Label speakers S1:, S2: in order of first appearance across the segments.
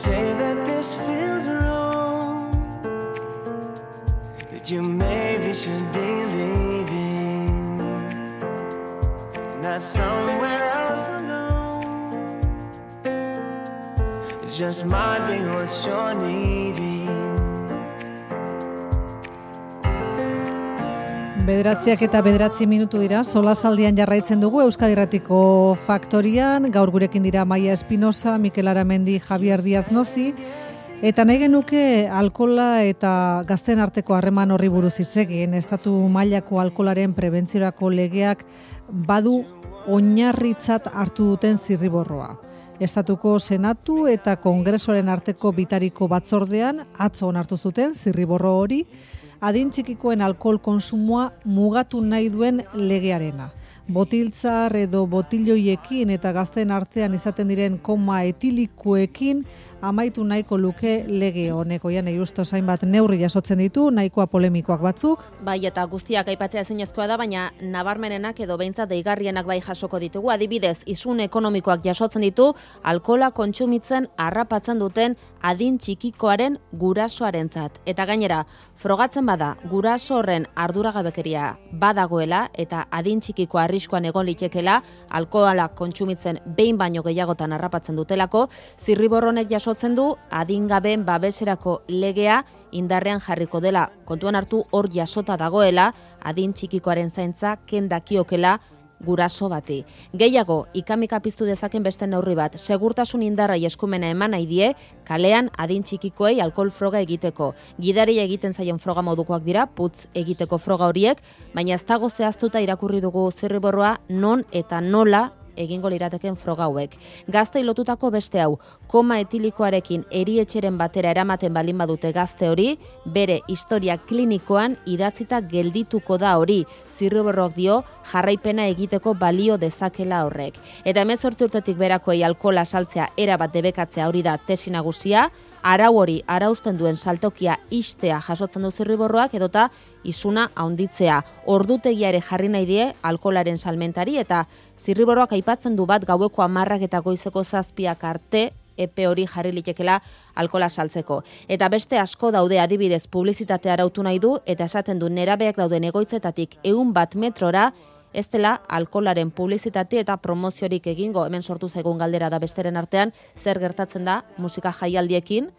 S1: say that this feels wrong, that you maybe should be leaving, not somewhere else alone. It just might be what you're needing.
S2: Bederatziak eta 9 minutu dira, solasaldian jarraitzen dugu Euskadi Irratiko Faktorian, gaur gurekin dira Maia Espinosa, Mikel Aramendi, Javier Díaz Nozi, eta nahi genuke alkohola eta gazteen arteko harreman horri buruz hitz egin. Estatu mailako alkoholaren prebentziorako legeak badu oinarritzat hartu duten zirriborroa. Estatuko Senatu eta Kongresoaren arteko bitariko batzordean atzo onartu zuten zirriborro hori, adin txikikoen alkohol konsumoa mugatu nahi duen legearena. Botiltzar edo botiloiekin eta gazteen artean izaten diren koma etilikoekin amaitu nahiko luke lege honek. Oian Justo zainbat neurri jasotzen ditu, nahikoa polemikoak batzuk.
S3: Bai, eta guztiak aipatzea ezinezkoa da, baina nabarmenenak edo behintzat deigarrienak bai jasoko ditugu. Adibidez, isun ekonomikoak jasotzen ditu, alkohola kontsumitzen harrapatzen duten adin txikikoaren gurasoarentzat. Eta gainera, frogatzen bada guraso horren arduragabekeria badagoela eta adin txikiko arriskuan egon litekela, alkohola kontsumitzen behin baino gehiagotan harrapatzen dutelako, zirriborronek jasotzen du adingabeen babeserako legea indarrean jarriko dela. Kontuan hartu hor jasota dagoela adin txikikoaren zaintza kendakiokela guraso bati. Gehiago, ikamika piztu dezaken beste neurri bat, segurtasun indarrai eskumena eman nahi die, kalean adin txikikoei alkohol froga egiteko. Gidaria egiten zaien froga modukoak dira, putz egiteko froga horiek, baina ez dago zehaztuta irakurri dugu zirriborroa non eta nola egingo lirateken froga hauek. Gaztei lotutako beste hau, koma etilikoarekin erietxeren batera eramaten balin badute gazte hori, bere historia klinikoan idatzita geldituko da hori. Zirriborroak dio jarraipena egiteko balio dezakela horrek. Eta 18 urtetik berakoei alkohola saltzea erabat debekatzea hori da tesi nagusia, arau hori arausten duen saltokia ixtea jasotzen du zirriborroak edota isuna handitzea. Ordutegia ere jarri nahi die alkoholaren salmentari eta zirriborroak aipatzen du bat gaueko 10 eta goizeko 7 arte epe hori jarri litekela alkohola saltzeko. Eta beste asko daude, adibidez publizitatea arautu nahi du eta esaten du nerabeak dauden egoitzetatik 100 metrora ez dela alkoholaren publizitate eta promoziorik egingo. Hemen sortu zaigun galdera da besteren artean, zer gertatzen da musika jaialdiekin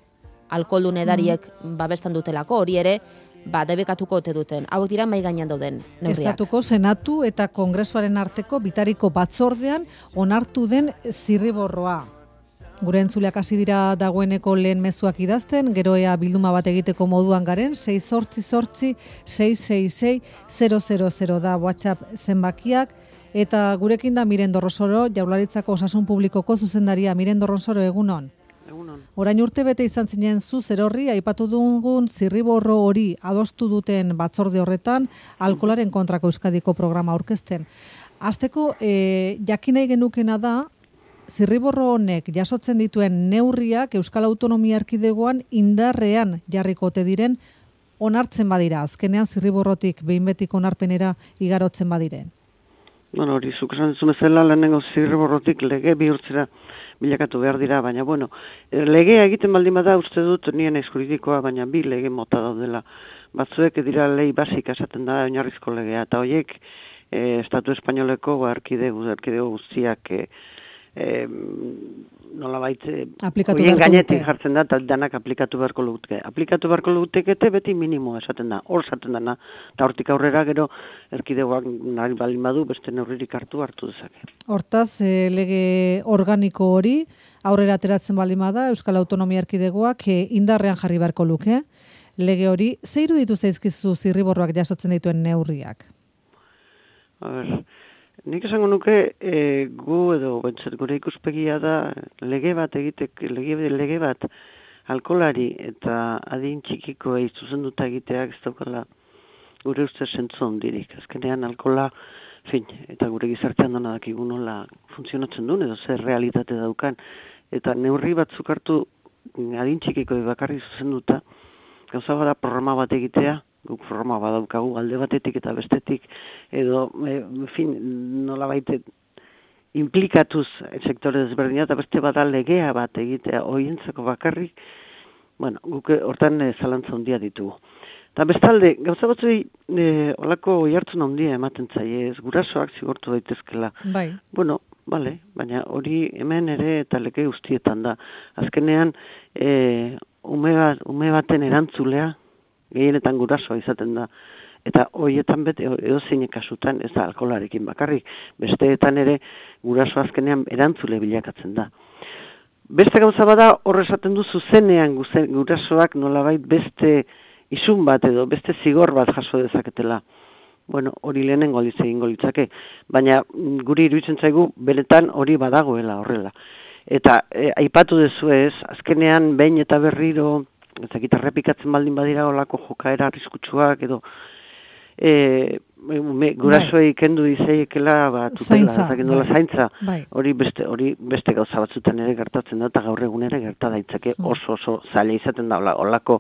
S3: alkoholdun edariek babesten dutelako, hori ere debekatuko ote duten. Hauek dira mahai gainean dauden neurriak.
S2: Estatuko Senatu eta Kongresoaren arteko bitariko batzordean onartu den zirriborroa. Gure entzuleak hasi dira dagoeneko lehen mezuak idazten, gero ea bilduma bat egiteko moduan garen, 688-666-000 da WhatsApp zenbakiak, eta gurekin da Miren Dorronsoro, Jaurlaritzako Osasun Publikoko zuzendaria. Miren Dorronsoro, egunon.
S4: Egunon.
S2: Orain urte bete izan zinen zu zerorri, aipatu dugun zirriborro hori adostu duten batzorde horretan, alkoholaren kontrako Euskadiko programa aurkezten. Hasteko, jakin nahi genukena da, zirriborro honek jasotzen dituen neurriak Euskal Autonomia Erkidegoan indarrean jarriko ote diren onartzen badira, azkenean zirriborrotik behin betiko onarpenera igarotzen badiren.
S4: Bueno, hori zuk esan duzu bezala lehenengo zirriborrotik lege bihurtzera bilakatu behar dira, baina bueno, legea egiten baldin bada uste dut nien juridikoa, baina bi lege mota daudela. Batzuek dira lei basika esaten da oinarrizko legea, eta horiek Estatu Espainoleko erkidego guztiak nolabait horien gainetik jartzen da eta danak aplikatu beharko lukete. Aplikatu beharko lutekete beti minimo esaten da, hor esaten dana, eta hortik aurrera gero erkidegoak nahi balin badu beste neurririk hartu dezake.
S2: Hortaz, lege organiko hori aurrera ateratzen balin bada Euskal Autonomia Erkidegoak indarrean jarri beharko luke. Lege hori, ze iruditu zaizkizu zirriborroak jasotzen dituen neurriak?
S4: A ber, nik esango nuke gu edo gure ikuspegia da lege bat alkoholari eta adin txikikoei zuzenduta egiteak ez daukala gure ustez zentzu handirik. Azkenean alkohola, eta gure gizartean dena dakigu nola funtzionatzen duen edo zer realitate daukan. Eta neurri batzuk hartu adin txikikoi bakarrik zuzenduta, gauza bada programa bat egitea, guk programa badaukagu alde batetik eta bestetik, edo, nolabait implikatuz sektore desberdina, eta beste bada legea bat egitea oientzako bakarrik, bueno, guk hortan zalantza handia ditugu. Eta bestalde, gauza batzuei olako oihartzun handia ematen zaie, ez gurasoak zigortu daitezkela.
S2: Bai.
S4: Bueno, bale, baina hori hemen ere eta lege guztietan da. Azkenean, ume baten erantzulea, gehienetan gurasoa izaten da. Eta horietan edozein kasutan, ez da alkoholarekin bakarrik, besteetan ere guraso azkenean erantzule bilakatzen da. Beste gauza bada hor esaten du zuzenean gurasoak nolabait beste isun bat edo beste zigor bat jaso dezaketela. Bueno, hori lehenengo aldiz egingo litzake, baina guri iruditzen zaigu benetan hori badagoela horrela. Eta aipatu dezu ez, azkenean behin eta berriro, ezakit errepikatzen baldin badira olako jokaera arriskutsuak edo gurasoei kendu dizeiekela tutela, zaintza. Hori beste gauza batzutan ere gertatzen da, eta gaur egun ere gerta daitzake oso zaila izaten da olako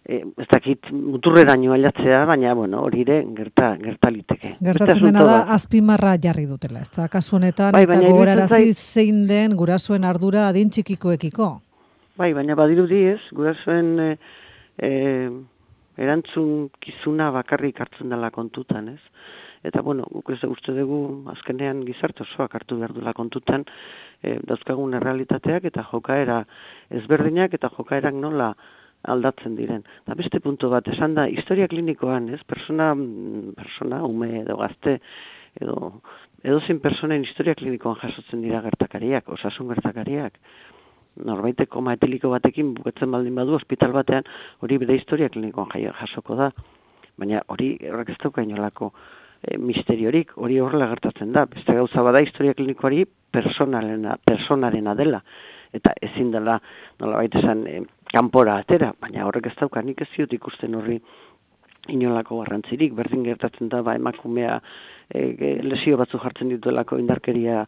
S4: ez dakit muturreraino ailatzea, baina bueno, hori ere gerta liteke.
S2: Gertatzen dena da azpimarra jarri dutela, ez da kasu honetan, eta gogorarazi zein den gurasoen ardura adin txikikoekiko. Bai,
S4: baina badirudi ez, gurasoen erantzunkizuna bakarrik hartzen dela kontutan, ez? Eta, bueno, guk ez uste dugu azkenean gizarte osoak hartu behar duela kontutan dauzkagun errealitateak eta jokaera ezberdinak eta jokaerak nola aldatzen diren. Eta beste puntu bat, esan da, historia klinikoan, ez? Persona, ume edo gazte, edo zein personen historia klinikoan jasotzen dira gertakariak, osasun gertakariak. Norbaitek koma etiliko batekin bukatzen baldin badu ospital batean, hori bere historia klinikoan jasoko da. Baina horrek ez dauka inolako misteriorik, hori horrela gertatzen da. Beste gauza bada historia klinikoari personarena dela. Eta ezin dela, nolabait esan, kanpora atera, baina horrek ez dauka nik ez ziot ikusten horri inolako garrantzirik. Berdin gertatzen da, emakumea lesio batzu jartzen dituelako indarkeria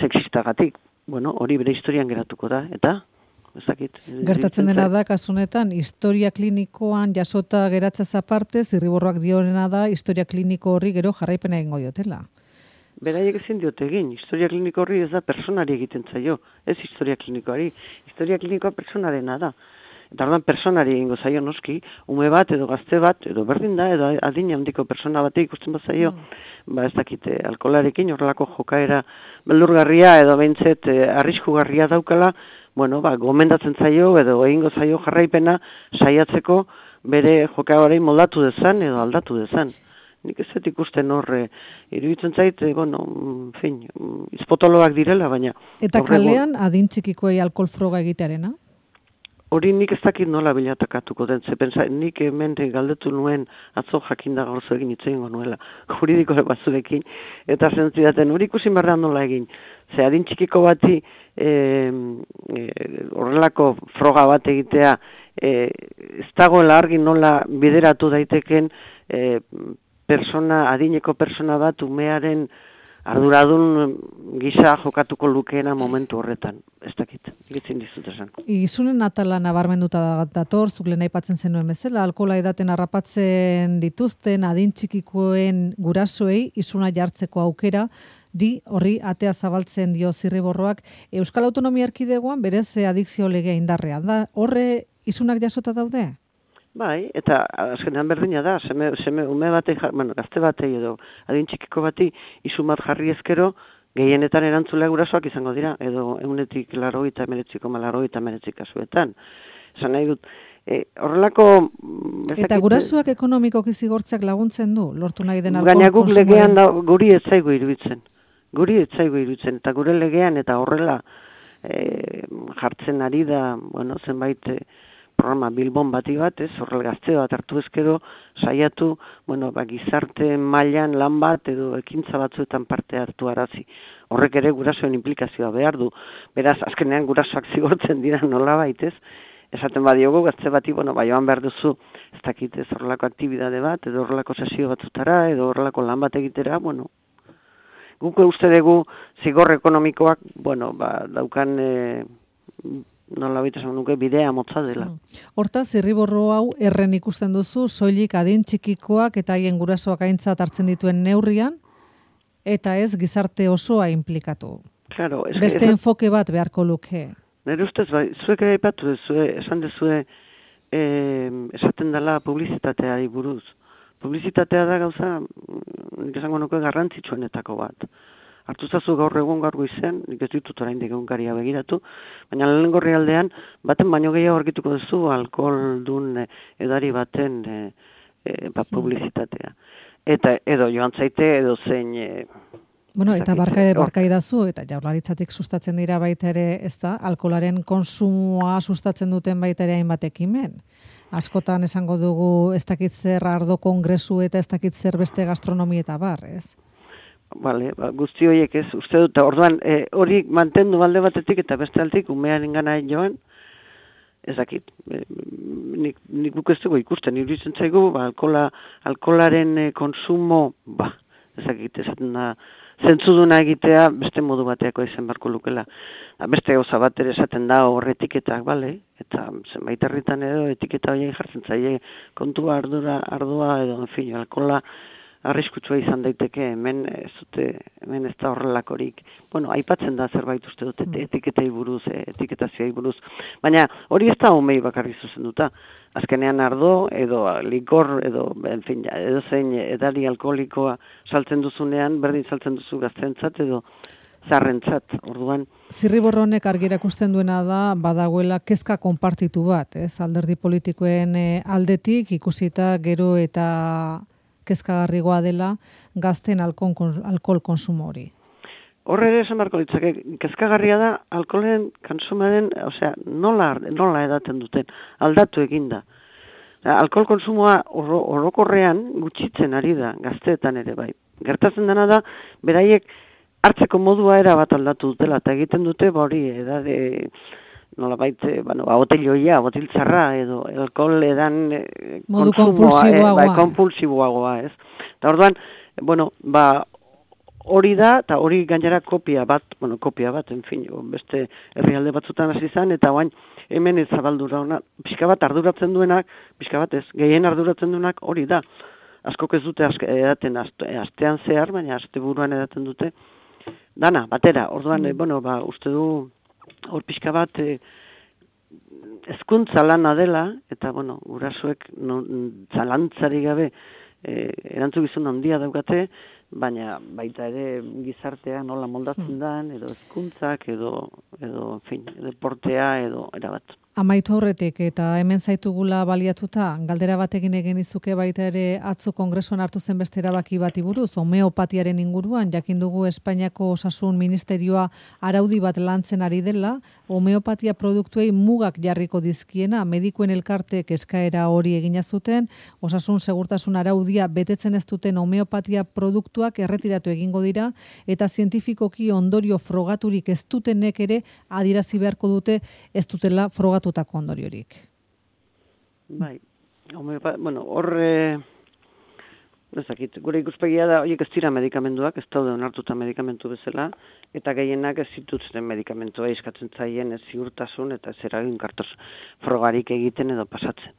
S4: sexistagatik. Bueno, hori bere historian geratuko da, eta ez dakit.
S2: Gertatzen dena da, kasunetan, historia klinikoan jasota geratzaz aparte, Zirriborroak diorena da, historia kliniko horri gero jarraipena egingo diotela.
S4: Beraiek ezin diote egin, historia kliniko horri ez da personari egiten zaio, ez historia klinikoari. Historia klinikoa personarena da. Eta orduan personari egingo zaio noski, ume bat edo gazte bat, edo berdin da, edo adina handiko persona bat ikusten bat zaio, ez dakite, alkoholarekin horrelako jokaera beldurgarria edo behintzet arriskugarria daukala, bueno, gomendatzen zaio edo egingo zaio jarraipena saiatzeko bere jokaerari moldatu dezan edo aldatu dezan. Nik ez dut ikusten horre, iruditzen zait, izpotoloak direla, baina...
S2: Eta kalean adin txikikoei alkohol froga egitearena?
S4: Hori nik ez dakit nola bilatakatuko den, nik hemen galdetu nuen atzo jakinda gauzo egin itzegingo nuela, juridiko batzuekin, eta zentzidaten, hori ikusin berrean nola egin. Ze adin txikiko bati horrelako froga bat egitea, ez dagoela argi nola bideratu daiteken adineko persona bat umearen arduradun gisa jokatuko lukeena momentu horretan. Ez dakit, gitzin dizut esan.
S2: Izunen atala nabarmenduta dator, zuk lehen aipatzen zenuen bezala, alkohola edaten harrapatzen dituzten adin txikikoen gurasoei izuna jartzeko aukera, horri atea zabaltzen dio Zirriborroak. Euskal Autonomia Erkidegoan berez adikzio legea indarrean da. Horre izunak jasota daude?
S4: Bai, eta azkenean berdina da, ume batei, gazte batei edo adin txikiko bati izun bat jarri ezkero, gehienetan erantzulea gurasoak izango dira, edo 189,89 kasuetan. Esan nahi dut, horrelako...
S2: Eta gurasoak ekonomikoki zigortzeak laguntzen du, lortu nahi den alkohol
S4: konsumoaren? Baina guk legean guri ez zaigu iruditzen. Eta gure legean eta horrela jartzen ari da, zenbait... programa Bilbon bati bat, horrel gazte bat hartu ezkero, saiatu, gizarte mailan lan bat edo ekintza batzuetan parte hartu arazi. Horrek ere gurasoen implikazioa behar du. Beraz, azkenean gurasoak zigortzen dira nolabait, esaten badiogu gazte bati, joan behar duzu, ez dakit, horrelako aktibidade bat, edo horrelako sesio batzutara, edo horrelako lan bat egitera, guk uste dugu zigor ekonomikoak, daukan... nola baita esan nuke bidea motza dela.
S2: Hortaz, Zirriborro hau erren ikusten duzu, soilik adin txikikoak eta haien gurasoak aintzat hartzen dituen neurrian, eta ez gizarte osoa inplikatu.
S4: Claro,
S2: Beste enfoke bat beharko luke.
S4: Nire ustez, bai, zuek aipatu duzue, esan duzue, esaten dela publizitateari buruz. Publizitatea da gauza, nik esango nuke garrantzitsuenetako bat. Hartu zazu gaur egun gaur goizen, nik ez ditut oraindik egunkaria begiratu, baina lehenengo herrialdean baten baino gehiago aurkituko duzu alkoholdun edari baten publizitatea. Eta edo joan zaite edo zein
S2: Bueno, eta barkaidazu, eta Jaurlaritzatik sustatzen dira baita ere, ez da, alkoholaren konsumoa sustatzen duten baita ere hainbat ekimen. Askotan esango dugu ez dakit zer ardo kongresu eta ez dakit zer beste gastronomi eta bar, ez?
S4: Bale, guzti horiek ez, uste dut, orduan, hori mantendu balde batetik eta beste altik, umearen gana joan, ez dakit, nik guk ez dugu ikusten, iruditzen zaigu, alkoholaren konsumo, ez dakit, esaten da, zentzuduna egitea beste modu bateako izan barko lukela. Beste gauza bat ere esaten da hor etiketak, bale? Eta zenbait herritan edo etiketa horiek jartzen zaie kontua ardua edo, en fin, alkohola arriskutsua izan daiteke, hemen ez da horrelakorik. Bueno, aipatzen da zerbait uste dut etiketei buruz, etiketazioei buruz. Baina hori ez da umei bakarri zuzenduta. Azkenean ardo edo likor edo, en fin, edo zein edari alkoholikoa saltzen duzunean, berdin saltzen duzu gaztentzat edo zarrentzat. Orduan
S2: Zirriborro honek argi erakusten duena da badagoela kezka konpartitu bat, ez? Alderdi politikoen aldetik ikusita gero eta kezkagarrigoa dela gazten alkohol konsumo hori.
S4: Horre ere esan barko ditzake, kezkagarria da alkoholen konsumoaren, osea, nola edaten duten, aldatu eginda. Alkohol konsumoa orokorrean gutxitzen ari da, gazteetan ere bai. Gertatzen dena da, beraiek hartzeko modua era bat aldatu dutela, eta egiten dute, hori, edade, nola baita, botelloia, botiltzarra, edo alkohol edan
S2: modu
S4: konsumoa, konpulsiboagoa, ez. Eta orduan, hori da, eta hori gainera kopia bat, en fin, beste herrialde batzutan hasi izan, eta oain hemen ez zabaldura ona, pixka bat arduratzen duenak, pixka bat ez, gehien arduratzen duenak hori da. Askok ez dute edaten astean zehar, baina asteburuan edaten dute, dana, batera, orduan, uste du, hor pixka bat, hezkuntza lana dela, eta, gurasoek zalantzari gabe, erantzukizun handia daukate, baina baita ere gizartea nola moldatzen den, edo hezkuntzak, edo en fin, deportea, edo erabat.
S2: Amaitu horretik, eta hemen zaitugula baliatuta, galdera batekin egin izuke baita ere atzo kongresuan hartu zen beste erabaki bati buruz, homeopatiaren inguruan, jakin dugu Espainiako Osasun Ministerioa araudi bat lantzen ari dela, homeopatia produktuei mugak jarriko dizkiena, medikuen elkartek eskaera hori egina zuten, osasun segurtasun araudia betetzen ez duten homeopatia produktuak erretiratu egingo dira, eta zientifikoki ondorio frogaturik ez dutenek ere adierazi beharko dute ez dutela frogatu ondoriorik.
S4: Bai, ezakit, gure ikuspegia da, horiek ez dira medikamenduak, ez daude onartuta medikamentu bezala, eta gehienak ez zituzten medikamentua eskatzen zaien ez ziurtasun eta ez eraginkartos frogarik egiten edo pasatzen.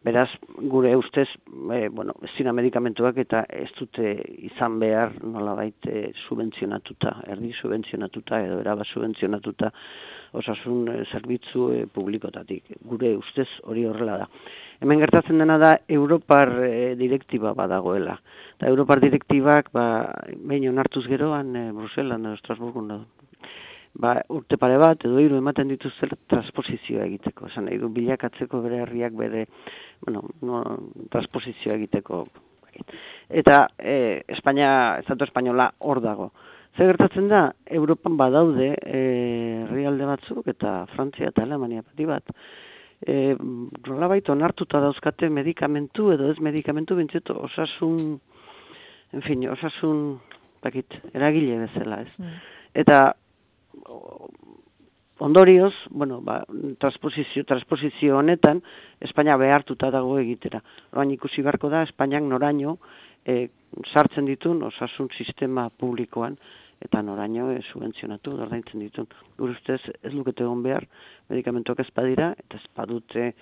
S4: Beraz, gure ustez, ez dira medikamentuak eta ez dute izan behar nolabait subentzionatuta, erdi subentzionatuta edo erabat subentzionatuta osasun zerbitzu publikotatik. Gure ustez hori horrela da. Hemen gertatzen dena da Europar direktiba badagoela. Eta Europar direktibak, behin onartuz geroan, Bruselan edo Estrasburgon da. Urte pare bat, edo hiru ematen dituzte transposizioa egiteko. Esan nahi du bilakatzeko bere herriak bere, transposizioa egiteko. Eta Estatu Espainola hor dago. Zer gertatzen da, Europan badaude herrialde batzuk eta Frantzia eta Alemania pati bat. Nolabait onartuta dauzkate medikamentu edo ez medikamentu bintzeto osasun, eragile bezala, ez. Eta ondorioz, transposizio honetan, Espainia behartuta dago egitera. Orain ikusi beharko da, Espainiak noraino sartzen ditun osasun sistema publikoan, eta noraino subentzionatu, ordaintzen ditun. Gure ustez ez lukete egon behar, medikamentuak ez badira, eta ez badute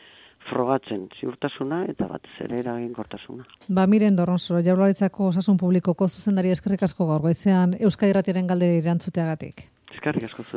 S4: frogatzen, ziurtasuna eta batez ere eraginkortasuna.
S2: Miren Dorronsoro, Jaurlaritzako Osasun Publikoko zuzendari eskerrik asko gaur goizean Euskadi Irratiaren galdera erantzuteagatik.
S4: Eskerrik asko zuei.